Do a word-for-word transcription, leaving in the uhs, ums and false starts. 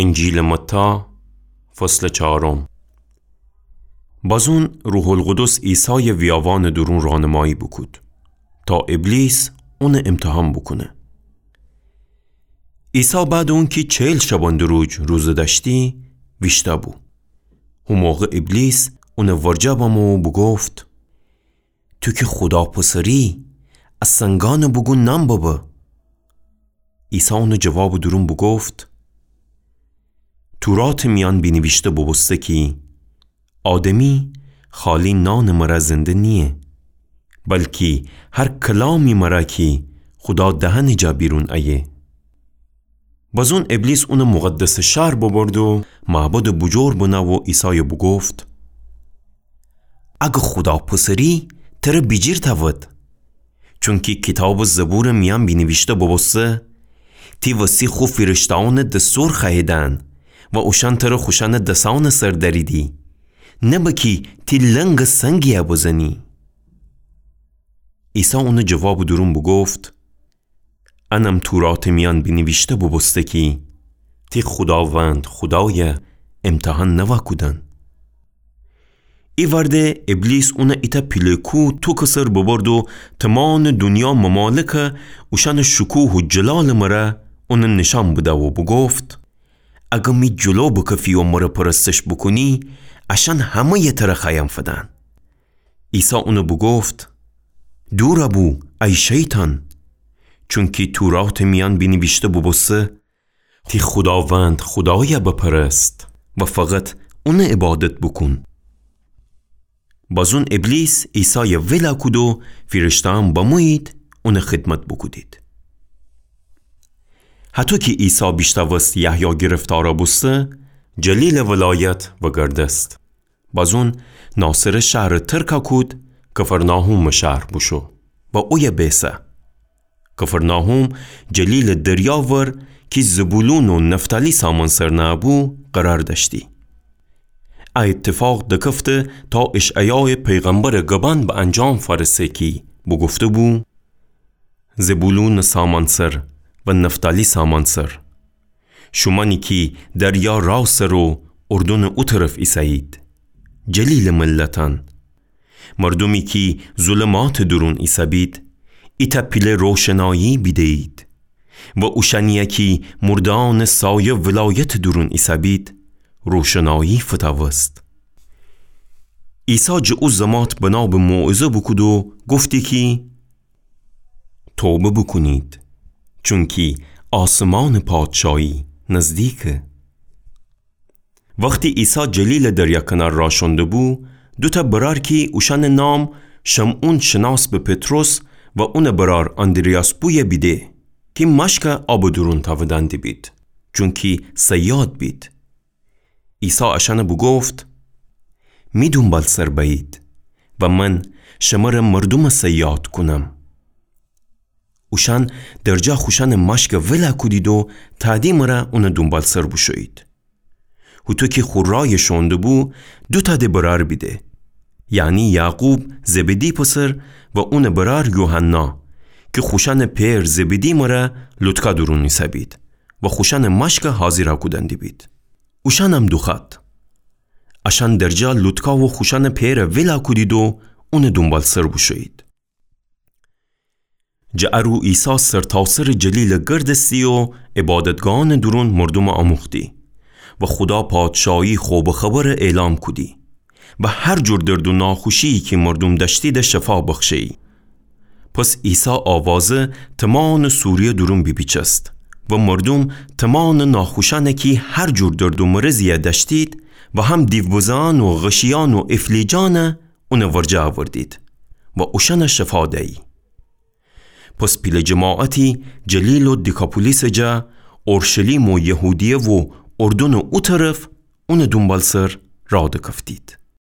انجیلٚ متی، فصلٚ چارم. بازون روح‌القدس عیسایَ ویاوانٚ دورون رانمایی بوکود تا ابلیس اونَ امتحان بوکونه. عیسی بعدٚ اونکی چهل شبانه‌روز روزه دأشتی، ویشتأ بو. هو موقع ابلیس اونٚ ورجه بمو و بوگفت: تو کی خودا پسری، ا سنگأنَ بوگو نان ببه. عیسی اونٚ جوابٚ دورون بوگفت: توراتٚ میأن بینیویشته بوبوسته کی آدمی خالی نانٚ مره زنده نییه، بلکی هر کلامی مره کی خودا دهنٚ جا بیرون ایه. بازون ابلیس اونَ مقدسٚ شهر ببرد و معبدٚ بوجور بنه و عیسایَ بوگفت: اگه خودا پسری، تره بیجیر تأود. چونکی کیتابٚ زبورٚ میأن بینیویشته بوبوسته: تی وسی خو فیرشته‌أونَ دستور خوأییدن و اوشأن تره خوشأنٚ دسأنٚ سر دأریدی، نه بکی تی لنگٚ سنگی‌یَ بزنی. عیسی اونٚ جوابٚ دورون بوگفت: انم توراتٚ میأن بینیویشته بوبوسته کی تی خوداوند خودایَ امتحان نوا کودن. ایوأرده ابلیس اونَ ایتأ پیله کوه توکٚ سر ببرد و تومانٚ دونیا ممالکَ اوشأنٚ شکوه و جلالٚ مره اونَ نیشأن بده و بوگفت: اگه می جلو بکفی و مره پرستش بوکونی، اشأن همه‌یَ تره خوأیم فدن. عیسی اونَ بوگفت: دورَ بو، ای شیطان! چونکی توراتٚ میأن بینیویشته بوبوسته: تی خوداوند خودایَ بپرست و فقط اونَ عبادت بوکون. بازون ابلیس عیسایَ ولَ کود و فیرشته‌أن بمویید اونٚ خدمت بوکودید. هطو کی عیسی بیشتأوست یحیی گرفتارَ بوسته، جلیلٚ ولایت وگردست. بازون ناصره شهرَ ترکَ کود، کفرناحومٚ شهر بوشو و اویه بیسه. کفرناحوم جلیلٚ دریا ور کی زبولون و نفتالی سامأنسر نأبو قرار دأشتی. ا ایتفاق دکفته تا اشعیایٚ پیغمبرٚ گبأن به انجام فأرسه کی بوگفته‌بو: زبولونٚ سامأنسر و نفتالی سامأنسر، شومأنی کی دریا رأ سر و اردنٚ او طرف ایسه‌یید، جلیلٚ ملتأن، مردومی کی ظلماتٚ دورون ایسه‌بید، ایتأ پیله روشنایی بیده‌یید و اوشأنی‌یَ کی مرده‌أنٚ سایه ولایتٚ دورون ایسه‌بید، روشنایی فتأوست. عیسی جٚه او زمات بنابٚ موعظه بوکود و گفتی کی توبه بوکونید، چونکی آسمانٚ پادشایی نزدیکه. وختی عیسی جلیلٚ دریا کنار رأ شونده‌بو، دوتأ برأر کی اوشأنٚ نام شمعون شناس به پطرس و اونٚ برأر آندریاس بویه بیده کی مأشکَ آبٚ دورون تأودأن دیبید، چونکی صیاد بید. عیسی اشأنَ بوگفت: می دونبالسر بأیید و من شمره مردومٚ صیاد کونم. اوشأن درجا خوشأنٚ مأشکَ ولَ کودید و تأدی مره اونٚ دونبالسر بوشویید. هوطو کی خو رأیَ شونده‌بو، دوتأ د برأر بیده، یعنی یعقوب زبدی پسر و اونٚ برأر یوحنا، کی خوشأنٚ پئر زبدی مره لوطکا دورون ایسه‌بید و خوشأنٚ مأشکَ حاضیرَ کودن دیبید. اوشأنم دوخوأد. اشأن درجا لوطکا و خوشأنٚ پئرَ ولَ کودید و اونٚ دونبالسر بوشویید. جٚه ا رو عیسی سرتاسرٚ جلیلَ گردستی و عبادتگاهأنٚ دورون مردومَ آموختی و خودا پادشاهی خوبٚ خبرَ اعلام کودی و هر جور درد و ناخوشی‌یی کی مردوم دأشتیدَ شفا بخشه‌یی. پس عیسی آوازه تومانٚ سوریه دورون بیپیچست و مردوم تومانٚ ناخوشأنَ کی هر جور درد و مرضی‌یَ دأشتید و هم دیوبزه‌یأن و غشی‌یأن و افلیجأنَ اونٚ ورجه آوردید و اوشأنَ شفا دیی. پس پیله جماعتی جلیل و دیکاپولیسٚ جا، اورشلیم و یهودیه و اردنٚ او طرف اونٚ دونبالسر راه دکفتید.